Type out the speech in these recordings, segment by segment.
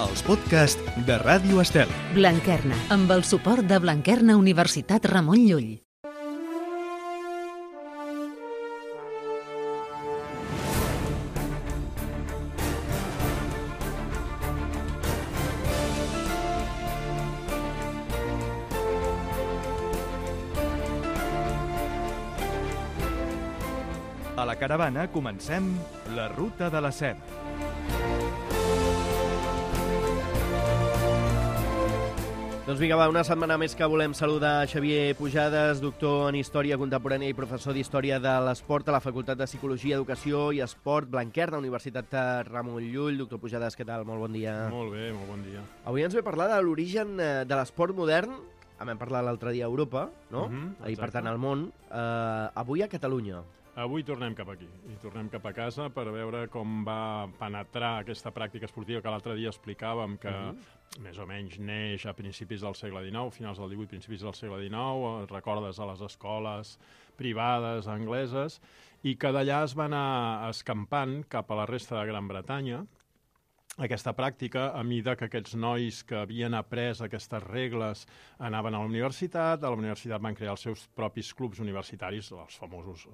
els podcasts de Ràdio Estel. Blanquerna, amb el suport de Blanquerna Universitat Ramon Llull. A la caravana comencem la Ruta de la Seda. Doncs vinga, va, una setmana més que volem saludar Xavier Pujades, doctor en Història Contemporània i professor d'Història de l'Esport a la Facultat de Psicologia, Educació i Esport Blanquerna, Universitat Ramon Llull. Doctor Pujades, què tal? Molt bon dia. Molt bé, molt bon dia. Avui ens ve a parlar de l'origen de l'esport modern. Vam parlar l'altre dia a Europa, no? I per tant al món. Avui a Catalunya. Avui tornem cap aquí, i tornem cap a casa per veure com va penetrar aquesta pràctica esportiva que l'altre dia explicàvem que més o menys neix a principis del segle XIX, finals del XVIII, principis del segle XIX, recordes a les escoles privades angleses, i que d'allà es va anar escampant cap a la resta de Gran Bretanya, aquesta pràctica, a mida que aquests nois que havien après aquestes regles anaven a la universitat van crear els seus propis clubs universitaris, els famosos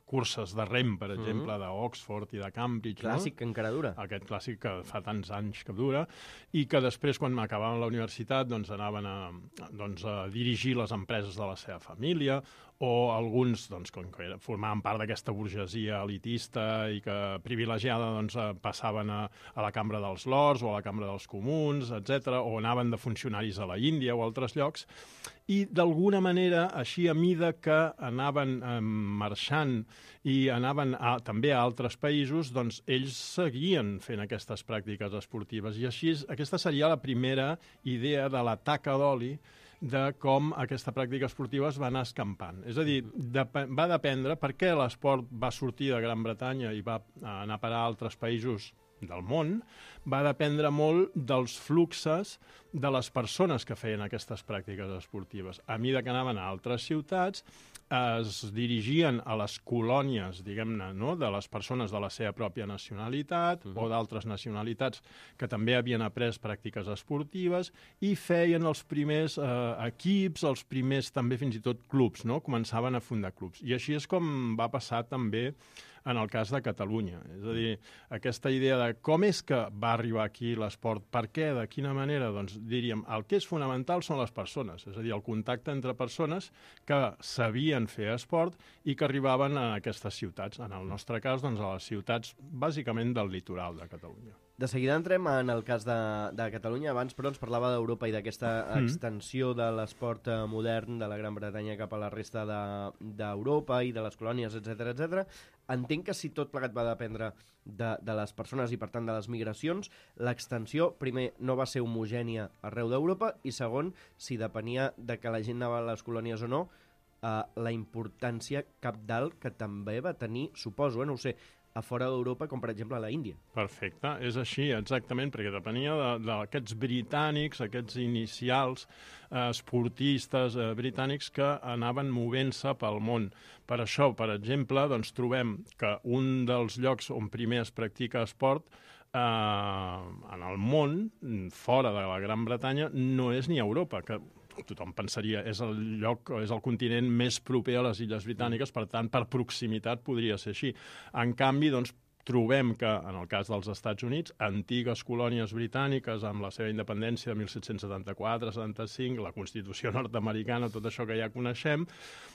curses de rem, per exemple, d'Oxford i de Cambridge. Clàssic que encara dura. Aquest clàssic que fa tants anys que dura, i que després, quan acabaven la universitat, doncs anaven a dirigir les empreses de la seva família, o alguns, doncs, com que formaven part d'aquesta burgesia elitista i que privilegiada, doncs, passaven a la Cambra dels Lords o a la Cambra dels Comuns, etc., o anaven de funcionaris a la Índia o a altres llocs, i d'alguna manera, així a mida que anaven marxant i anaven també a altres països, doncs ells seguien fent aquestes pràctiques esportives. I així, aquesta seria la primera idea de la taca d'oli, de com aquesta pràctica esportiva es va anar escampant. És a dir, va dependre per què l'esport va sortir de Gran Bretanya i va anar a parar a altres països del món, va dependre molt dels fluxes de les persones que feien aquestes pràctiques esportives. A mesura que anaven a altres ciutats, es dirigien a les colònies, diguem-ne, no?, de les persones de la seva pròpia nacionalitat o d'altres nacionalitats que també havien après pràctiques esportives i feien els primers equips, els primers també fins i tot clubs, no?, començaven a fundar clubs. I així és com va passar també en el cas de Catalunya. És a dir, aquesta idea de com és que va arribar aquí l'esport, per què, de quina manera, doncs diríem, el que és fonamental són les persones, és a dir, el contacte entre persones que sabien fer esport i que arribaven a aquestes ciutats. En el nostre cas, doncs, a les ciutats bàsicament del litoral de Catalunya. De seguida entrem en el cas de Catalunya. Abans, però, ens parlava d'Europa i d'aquesta extensió de l'esport modern de la Gran Bretanya cap a la resta d'Europa i de les colònies, etc etc. Entenc que si tot plegat va dependre de les persones i, per tant, de les migracions, l'extensió, primer, no va ser homogènia arreu d'Europa i, segon, si depenia de que la gent anava a les colònies o no, la importància cabdal que també va tenir, suposo, no ho sé, a fora d'Europa, com per exemple a la Índia. Perfecte, és així, exactament, perquè depenia d'aquests britànics, aquests inicials esportistes britànics que anaven movent-se pel món. Per això, per exemple, doncs, trobem que un dels llocs on primer es practica esport en el món, fora de la Gran Bretanya, no és ni Europa, que tothom pensaria és el lloc, és el continent més proper a les Illes Britàniques, per tant, per proximitat podria ser així. En canvi, doncs, trobem que, en el cas dels Estats Units, antigues colònies britàniques amb la seva independència de 1774-75, la Constitució nord-americana, tot això que ja coneixem,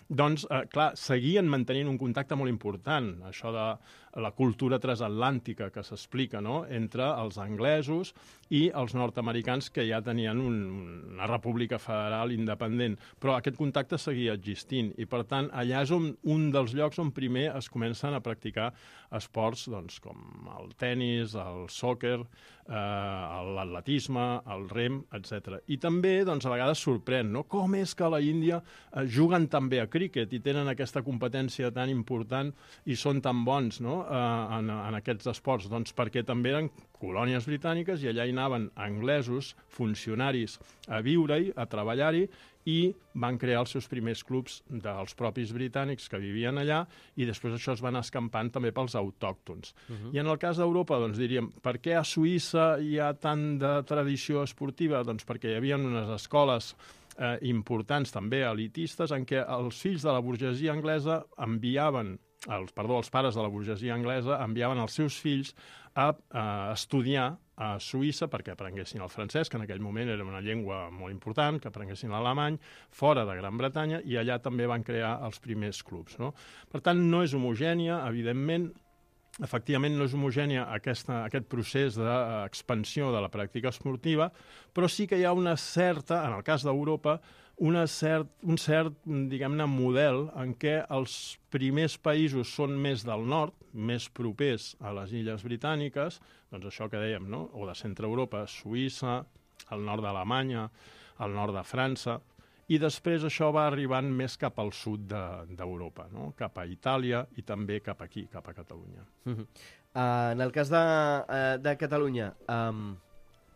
doncs, clar, seguien mantenint un contacte molt important, això de la cultura transatlàntica que s'explica, no?, entre els anglesos i els nord-americans que ja tenien una república federal independent. Però aquest contacte seguia existint i, per tant, allà és un dels llocs on primer es comencen a practicar esports, doncs, com el tennis, el sòquer, l'atletisme, el rem, etc. I també, doncs, a vegades sorprèn, no?, com és que a la Índia juguen tan bé a críquet i tenen aquesta competència tan important i són tan bons, no? en aquests esports? Doncs perquè també eren colònies britàniques i allà hi anaven anglesos, funcionaris, a viure-hi, a treballar-hi, i van crear els seus primers clubs dels propis britànics que vivien allà, i després això es van escampant també pels autòctons. I en el cas d'Europa, doncs diríem, per què a Suïssa hi ha tant de tradició esportiva? Doncs perquè hi havia unes escoles importants, també elitistes, en què els fills de la burgesia anglesa enviaven, els pares de la burgesia anglesa enviaven els seus fills a estudiar a Suïssa perquè aprenguessin el francès, que en aquell moment era una llengua molt important, que aprenguessin l'alemany, fora de Gran Bretanya, i allà també van crear els primers clubs, no? Per tant, no és homogènia, evidentment. Efectivament, no és homogènia aquest procés d'expansió de la pràctica esportiva, però sí que hi ha una certa, en el cas d'Europa, un cert, diguem-ne, model en què els primers països són més del nord, més propers a les illes britàniques, doncs això que dèiem, no? O de centre Europa, Suïssa, el nord d'Alemanya, el nord de França, i després això va arribant més cap al sud d'Europa, no? Cap a Itàlia i també cap aquí, cap a Catalunya. En el cas de Catalunya,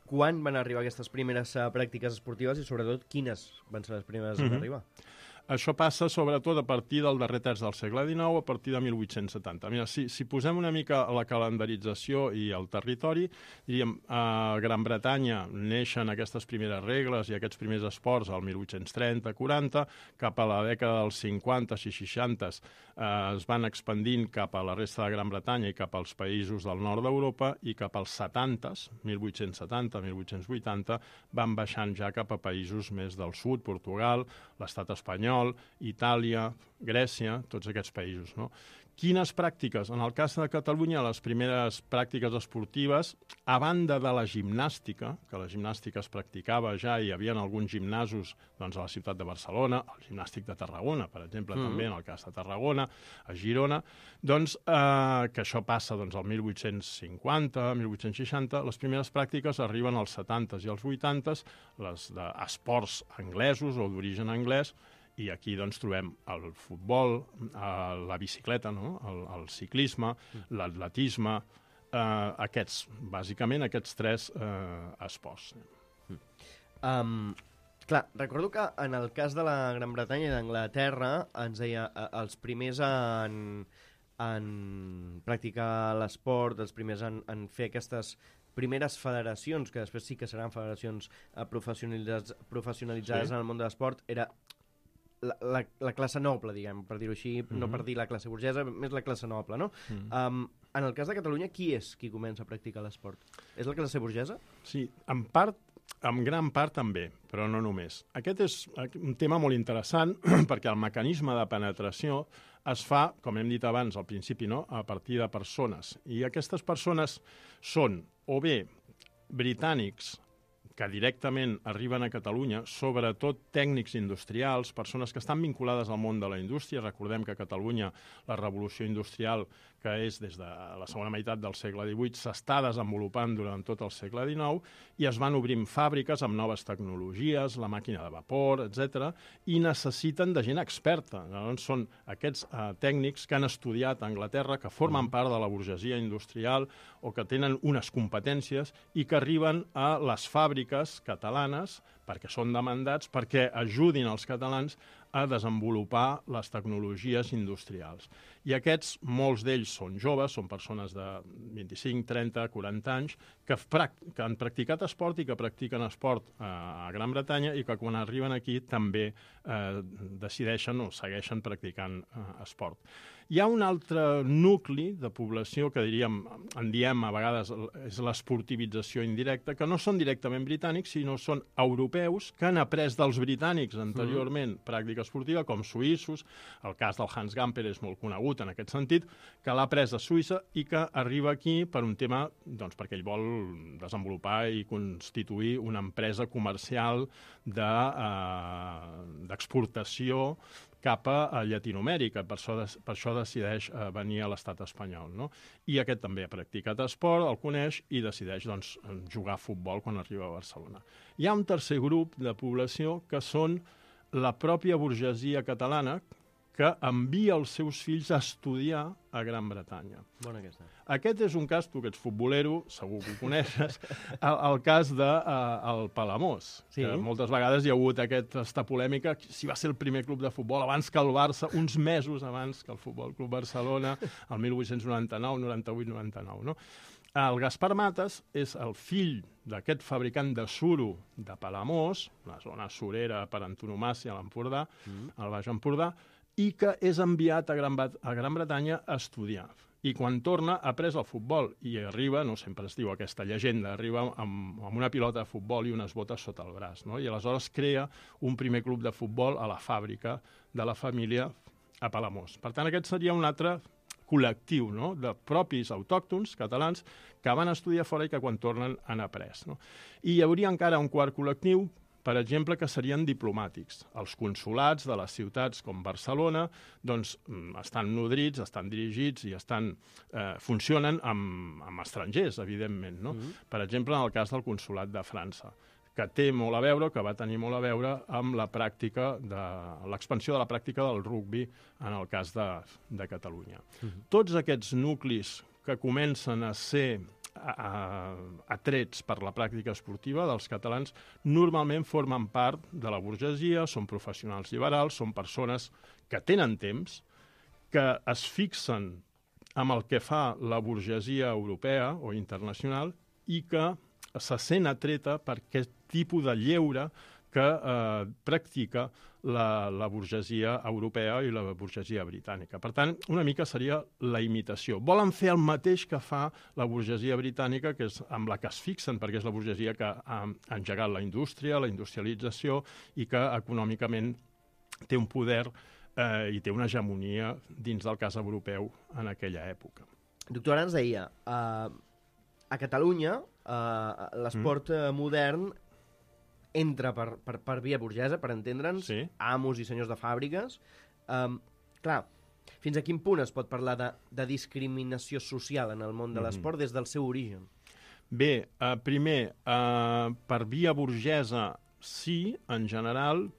quan van arribar aquestes primeres pràctiques esportives i, sobretot, quines van ser les primeres en arribar? Això passa sobretot a partir del darrer terç del segle XIX, a partir de 1870. Mira, si posem una mica la calendarització i el territori, diríem, a Gran Bretanya neixen aquestes primeres regles i aquests primers esports al 1830-40, cap a la dècada dels 50 i 60 es van expandint cap a la resta de Gran Bretanya i cap als països del nord d'Europa, i cap als 70s, 1870, 1880, van baixant ja cap a països més del sud, Portugal, l'estat espanyol, Itàlia, Grècia, tots aquests països, no? Quines pràctiques? En el cas de Catalunya, les primeres pràctiques esportives, a banda de la gimnàstica, que la gimnàstica es practicava ja, i hi havia alguns gimnasos doncs, a la ciutat de Barcelona, el gimnàstic de Tarragona, per exemple, també en el cas de Tarragona, a Girona, doncs, que això passa doncs, al 1850, 1860, les primeres pràctiques arriben als 70s i als 80s, les d'esports anglesos o d'origen anglès, i aquí doncs, trobem el futbol, la bicicleta, no? El ciclisme, l'atletisme, bàsicament aquests tres esports. Clar, recordo que en el cas de la Gran Bretanya i d'Anglaterra ens deia els primers en practicar l'esport, els primers en fer aquestes primeres federacions, que després sí que seran federacions professionalitzades en el món de l'esport, era la classe noble, diguem, per dir-ho així, no per dir la classe burgesa, més la classe noble, no? En el cas de Catalunya, qui és qui comença a practicar l'esport? És la classe burgesa? Sí, en gran part també, però no només. Aquest és un tema molt interessant perquè el mecanisme de penetració es fa, com hem dit abans al principi, no? A partir de persones. I aquestes persones són o bé britànics que directament arriben a Catalunya, sobretot tècnics industrials, persones que estan vinculades al món de la indústria. Recordem que a Catalunya la revolució industrial, que és des de la segona meitat del segle XVIII, s'està desenvolupant durant tot el segle XIX, i es van obrint fàbriques amb noves tecnologies, la màquina de vapor, etc., i necessiten de gent experta. Llavors són aquests tècnics que han estudiat a Anglaterra, que formen part de la burgesia industrial o que tenen unes competències i que arriben a les fàbriques catalanes perquè són demandats, perquè ajudin els catalans a desenvolupar les tecnologies industrials. I aquests, molts d'ells són joves, són persones de 25, 30, 40 anys, que han practicat esport i que practiquen esport a Gran Bretanya i que quan arriben aquí també decideixen o segueixen practicant esport. Hi ha un altre nucli de població que en diem a vegades és l'esportivització indirecta, que no són directament britànics, sinó són europeus que han après dels britànics anteriorment pràctica esportiva, com suïssos. El cas del Hans Gamper és molt conegut en aquest sentit, que l'ha après de Suïssa i que arriba aquí per un tema, doncs perquè ell vol desenvolupar i constituir una empresa comercial d'exportació cap a Llatinoamèrica. Per això decideix venir a l'estat espanyol, no? I aquest també ha practicat esport, el coneix i decideix doncs, jugar a futbol quan arriba a Barcelona. Hi ha un tercer grup de població que són la pròpia burgesia catalana, que envia els seus fills a estudiar a Gran Bretanya. Bona aquesta. Aquest és un cas, tu que ets futbolero, segur que ho coneixes, el cas del Palamós. Sí. Que moltes vegades hi ha hagut aquesta polèmica, si va ser el primer club de futbol abans que el Barça, uns mesos abans que el Futbol Club Barcelona, el 1899, 98, 99, no? El Gaspar Mates és el fill d'aquest fabricant de suro de Palamós, una zona surera per antonomàsia a l'Empordà, al Baix Empordà, i que és enviat a Gran Bretanya a estudiar. I quan torna ha pres el futbol i arriba, no sempre es diu aquesta llegenda, arriba amb una pilota de futbol i unes botes sota el braç, no? I aleshores crea un primer club de futbol a la fàbrica de la família a Palamós. Per tant, aquest seria un altre col·lectiu, no?, de propis autòctons catalans que van estudiar fora i que quan tornen han après. No? I hi hauria encara un quart col·lectiu, per exemple, que serien diplomàtics. Els consulats de les ciutats com Barcelona doncs, estan nodrits, estan dirigits i funcionen amb estrangers, evidentment. No? Per exemple, en el cas del consulat de França, que té molt a veure, que va tenir molt a veure amb la pràctica l'expansió de la pràctica del rugbi en el cas de Catalunya. Tots aquests nuclis que comencen a ser atrets per la pràctica esportiva dels catalans normalment formen part de la burgesia, són professionals liberals, són persones que tenen temps, que es fixen amb el que fa la burgesia europea o internacional i que se sent atreta per aquest tipus de lleure que practica la burgesia europea i la burgesia britànica. Per tant, una mica seria la imitació. Volen fer el mateix que fa la burgesia britànica, que és amb la que es fixen, perquè és la burgesia que ha engegat la indústria, la industrialització, i que econòmicament té un poder i té una hegemonia dins del cas europeu en aquella època. Doctor, ara ens deia, a Catalunya l'esport modern entra per via burgesa, per entendre'ns, sí. Amos i senyors de fàbriques. Clar, fins a quin punt es pot parlar de discriminació social en el món de l'esport des del seu origen? Bé, primer, per via burgesa, sí, en general,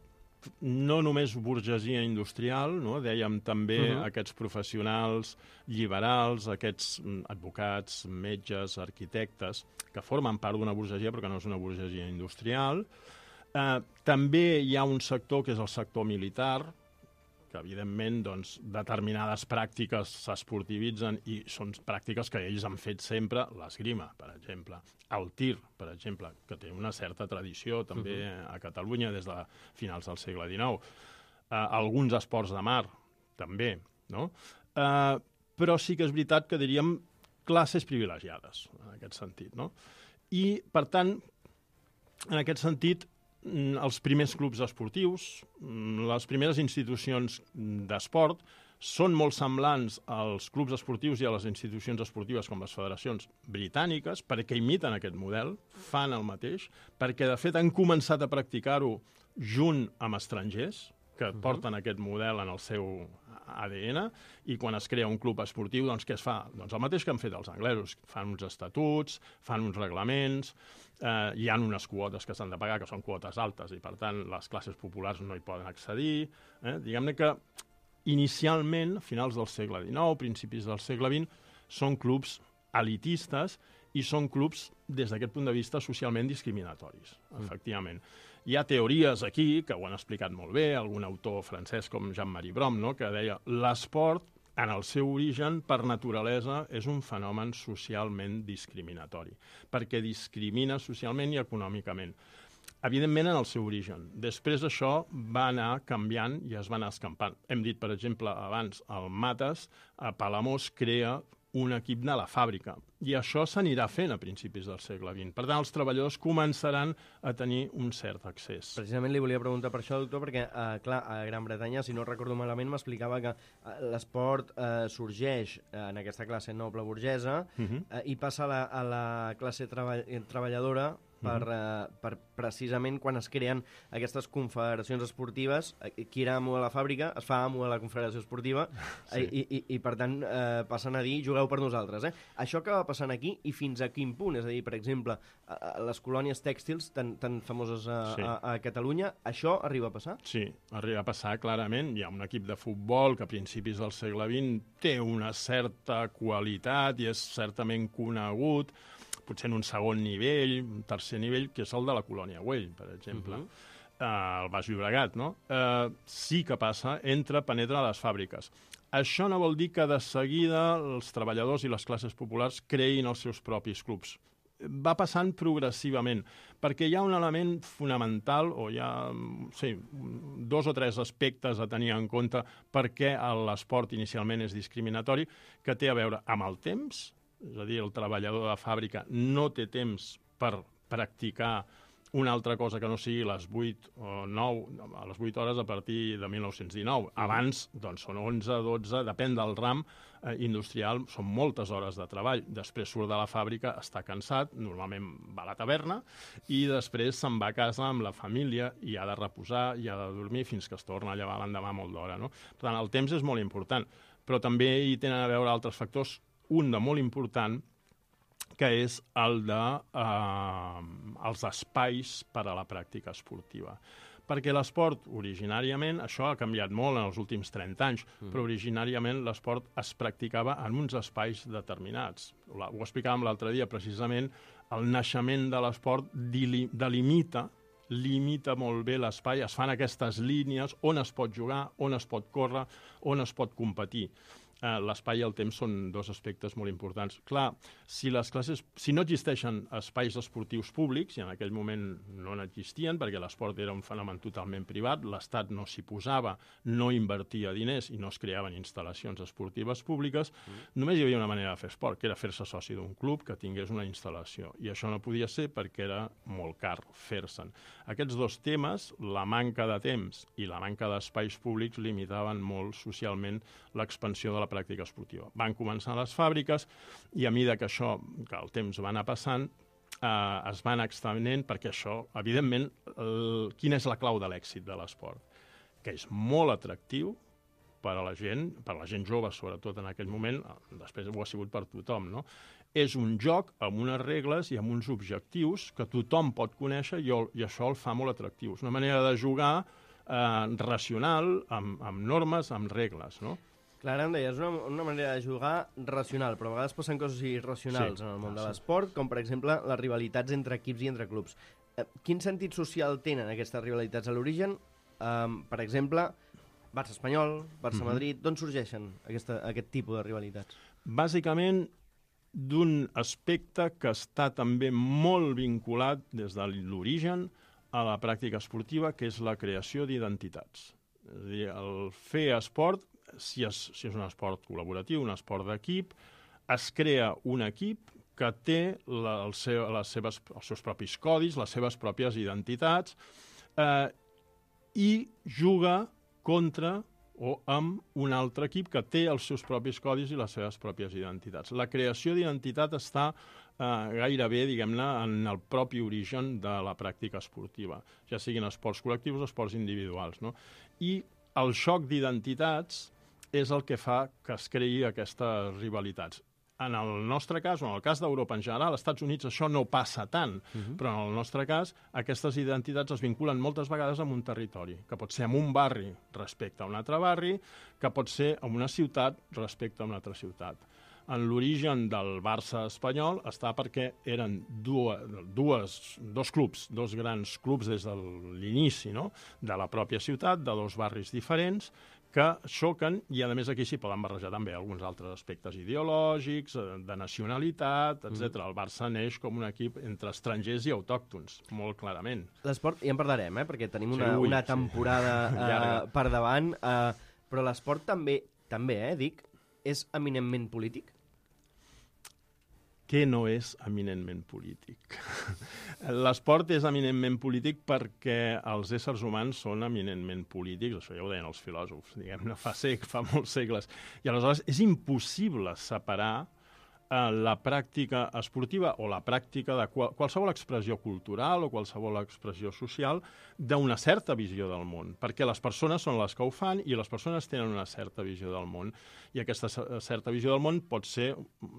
no només burgesia industrial, no? Dèiem també aquests professionals liberals, aquests advocats, metges, arquitectes, que formen part d'una burgesia però que no és una burgesia industrial. També hi ha un sector que és el sector militar, que evidentment doncs, determinades pràctiques s'esportivitzen i són pràctiques que ells han fet sempre, l'esgrima, per exemple, el tir, per exemple, que té una certa tradició també a Catalunya des de finals del segle XIX, alguns esports de mar, també, no? Però sí que és veritat que diríem classes privilegiades, en aquest sentit, no? I, per tant, en aquest sentit, els primers clubs esportius, les primeres institucions d'esport, són molt semblants als clubs esportius i a les institucions esportives com les federacions britàniques, perquè imiten aquest model, fan el mateix, perquè de fet han començat a practicar-ho junt amb estrangers, que porten aquest model en el seu ADN, i quan es crea un club esportiu, doncs què es fa? Doncs el mateix que han fet els anglesos, fan uns estatuts, fan uns reglaments, hi ha unes quotes que s'han de pagar, que són quotes altes, i per tant les classes populars no hi poden accedir. Diguem-ne que inicialment, a finals del segle XIX, principis del segle XX, són clubs elitistes i són clubs, des d'aquest punt de vista, socialment discriminatoris, efectivament. Hi ha teories aquí, que ho han explicat molt bé, algun autor francès com Jean-Marie Brom, no?, que deia l'esport, en el seu origen, per naturalesa, és un fenomen socialment discriminatori, perquè discrimina socialment i econòmicament. Evidentment, en el seu origen. Després això va anar canviant i es va anar escampant. Hem dit, per exemple, abans, el Mates, a Palamós, crea un equip de la fàbrica. I això s'anirà fent a principis del segle XX. Per tant, els treballadors començaran a tenir un cert accés. Precisament li volia preguntar per això, doctor, perquè, clar, a Gran Bretanya, si no recordo malament, m'explicava que l'esport sorgeix en aquesta classe noble burgesa i passa a la classe treballadora per precisament quan es creen aquestes confederacions esportives, qui era amo de la fàbrica es fa amo de la confederació esportiva i per tant passen a dir jugueu per nosaltres. Això acaba passant aquí i fins a quin punt? És a dir, per exemple, les colònies tèxtils tan famoses a Catalunya, això arriba a passar? Sí, arriba a passar clarament. Hi ha un equip de futbol que a principis del segle XX té una certa qualitat i és certament conegut, potser en un segon nivell, un tercer nivell, que és el de la Colònia Güell, per exemple. El Baix Llobregat, no? Sí que passa, penetra a les fàbriques. Això no vol dir que de seguida els treballadors i les classes populars creïn els seus propis clubs. Va passant progressivament, perquè hi ha un element fonamental, o hi ha 2 o 3 aspectes a tenir en compte perquè l'esport inicialment és discriminatori, que té a veure amb el temps. És a dir, el treballador de fàbrica no té temps per practicar una altra cosa que no sigui les 8 o 9, a les 8 hores a partir de 1919. Abans, doncs, són 11, 12, depèn del ram industrial, són moltes hores de treball. Després surt de la fàbrica, està cansat, normalment va a la taverna, i després se'n va a casa amb la família i ha de reposar, i ha de dormir fins que es torna a llevar l'endemà molt d'hora, no? Per tant, el temps és molt important, però també hi tenen a veure altres factors. Un de molt important, que és el els espais per a la pràctica esportiva. Perquè l'esport, originàriament, això ha canviat molt en els últims 30 anys, però originàriament l'esport es practicava en uns espais determinats. Ho explicàvem l'altre dia, precisament, el naixement de l'esport limita molt bé l'espai, es fan aquestes línies on es pot jugar, on es pot córrer, on es pot competir. L'espai i el temps són 2 aspectes molt importants. Clar, si no existeixen espais esportius públics, i en aquell moment no n'existien, perquè l'esport era un fenomen totalment privat, l'Estat no s'hi posava, no invertia diners i no es creaven instal·lacions esportives públiques, només hi havia una manera de fer esport, que era fer-se soci d'un club que tingués una instal·lació. I això no podia ser perquè era molt car fer-se'n. Aquests 2 temes, la manca de temps i la manca d'espais públics, limitaven molt socialment l'expansió de la pràctica esportiva. Van començar les fàbriques i a mesura que el temps va anar passant, es van extenent perquè això, evidentment, quina és la clau de l'èxit de l'esport? Que és molt atractiu per a la gent jove, sobretot en aquell moment, després ho ha sigut per tothom, no? És un joc amb unes regles i amb uns objectius que tothom pot conèixer i això el fa molt atractiu. És una manera de jugar racional, amb normes, amb regles, no? Clar, em deies, una manera de jugar racional, però a vegades passen coses irracionals en el món de l'esport, com per exemple les rivalitats entre equips i entre clubs. Quin sentit social tenen aquestes rivalitats a l'origen? Per exemple, Barça-Espanyol, Barça-Madrid, d'on sorgeixen aquest tipus de rivalitats? Bàsicament, d'un aspecte que està també molt vinculat des de l'origen a la pràctica esportiva, que és la creació d'identitats. És a dir, el fer esport, si és un esport col·laboratiu, un esport d'equip, es crea un equip que té els seus propis codis, les seves pròpies identitats, i juga contra o amb un altre equip que té els seus propis codis i les seves pròpies identitats. La creació d'identitat està gairebé, diguem-ne, en el propi origen de la pràctica esportiva, ja siguin esports col·lectius o esports individuals, no? I el xoc d'identitats és el que fa que es creï aquestes rivalitats. En el nostre cas, o en el cas d'Europa en general, als Estats Units això no passa tant, però en el nostre cas aquestes identitats es vinculen moltes vegades amb un territori, que pot ser amb un barri respecte a un altre barri, que pot ser amb una ciutat respecte a una altra ciutat. En l'origen del Barça espanyol està perquè eren dos clubs, 2 grans clubs des de l'inici, no?, de la pròpia ciutat, de 2 barris diferents, que xoquen, i a més aquí s'hi poden barrejar també alguns altres aspectes ideològics, de nacionalitat, etc. El Barça neix com un equip entre estrangers i autòctons, molt clarament. L'esport, ja en parlarem, perquè tenim una temporada per davant, però l'esport també, dic, és eminentment polític? Què no és eminentment polític? L'esport és eminentment polític perquè els éssers humans són eminentment polítics, això ja ho deien els filòsofs, diguem-ne, fa molts segles. I aleshores és impossible separar la pràctica esportiva o la pràctica de qualsevol expressió cultural o qualsevol expressió social d'una certa visió del món, perquè les persones són les que ho fan i les persones tenen una certa visió del món. I aquesta certa visió del món pot ser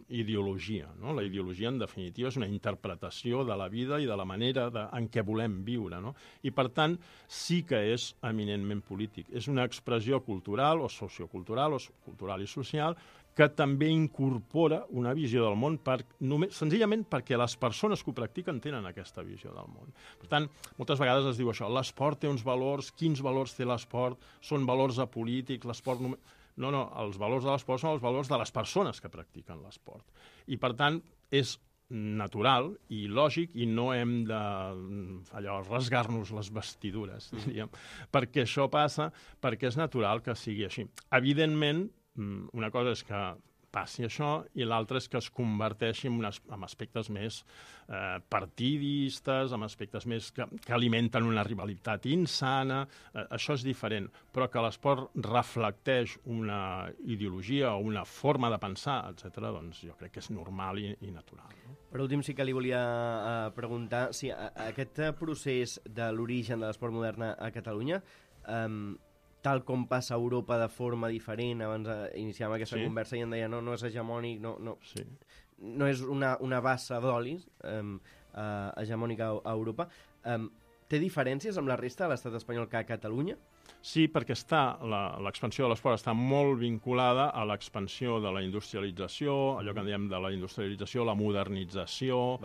ideologia, no? La ideologia, en definitiva, és una interpretació de la vida i de la manera en què volem viure, no? I, per tant, sí que és eminentment polític. És una expressió cultural o sociocultural o cultural i social que també incorpora una visió del món senzillament perquè les persones que ho practiquen tenen aquesta visió del món. Per tant, moltes vegades es diu això, l'esport té uns valors, quins valors té l'esport? Són valors apolítics, l'esport només... No, els valors de l'esport són els valors de les persones que practiquen l'esport. I, per tant, és natural i lògic i no hem de rasgar-nos les vestidures, diríem, perquè això passa, perquè és natural que sigui així. Evidentment, una cosa és que passi això i l'altra és que es converteixi en aspectes més partidistes, en aspectes més que alimenten una rivalitat insana. Això és diferent, però que l'esport reflecteix una ideologia o una forma de pensar, etc., doncs jo crec que és normal i natural. No? Per últim, sí que li volia preguntar si aquest procés de l'origen de l'esport modern a Catalunya tal com passa a Europa de forma diferent, abans iniciàvem aquesta conversa i em deia no és hegemònic, no és una bassa d'olis hegemònica a Europa. Té diferències amb la resta de l'estat espanyol que a Catalunya? Sí, perquè l'expansió de l'esport està molt vinculada a l'expansió de la industrialització, allò que en diem de la industrialització, la modernització...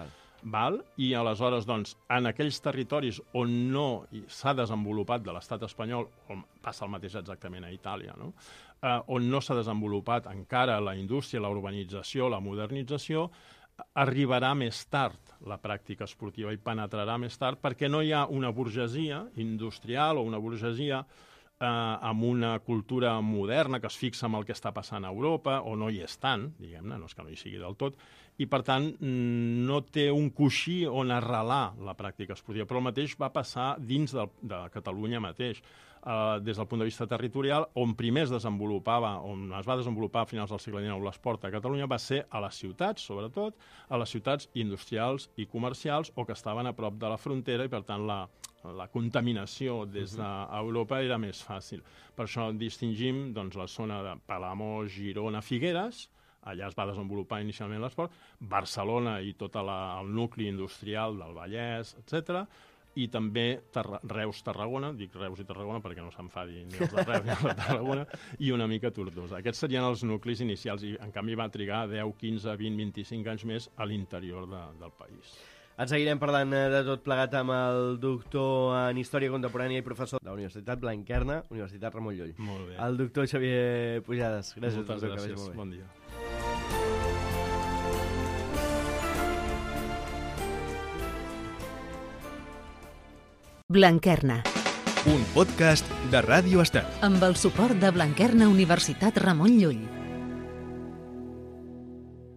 I aleshores, doncs, en aquells territoris on no s'ha desenvolupat de l'estat espanyol, on passa el mateix exactament a Itàlia, no? On no s'ha desenvolupat encara la indústria, la urbanització, la modernització, arribarà més tard la pràctica esportiva i penetrarà més tard perquè no hi ha una burgesia industrial o una burgesia amb una cultura moderna que es fixa en el que està passant a Europa, o no hi és tant, diguem-ne, no és que no hi sigui del tot, i per tant no té un coixí on arrelar la pràctica esportiva. Però el mateix va passar dins de Catalunya mateix, des del punt de vista territorial, on primer es va desenvolupar a finals del segle XIX l'esport a Catalunya va ser a les ciutats, sobretot, a les ciutats industrials i comercials o que estaven a prop de la frontera i per tant la contaminació des d'Europa era més fàcil. Per això distingim doncs, la zona de Palamós, Girona, Figueres, allà es va desenvolupar inicialment l'esport, Barcelona i tot el nucli industrial del Vallès, etc. I també Reus, Tarragona, dic Reus i Tarragona perquè no s'enfadi ni els de Reus ni els de Tarragona, i una mica Tortosa. Aquests serien els nuclis inicials i en canvi va trigar 10, 15, 20, 25 anys més a l'interior del país. En seguirem parlant de tot plegat amb el doctor en Història Contemporània i professor de la Universitat Blanquerna, Universitat Ramon Llull. Molt bé. El doctor Xavier Pujades. Gràcies. Moltes gràcies. Bon dia. Blanquerna. Un podcast de Ràdio Estat. Amb el suport de Blanquerna Universitat Ramon Llull.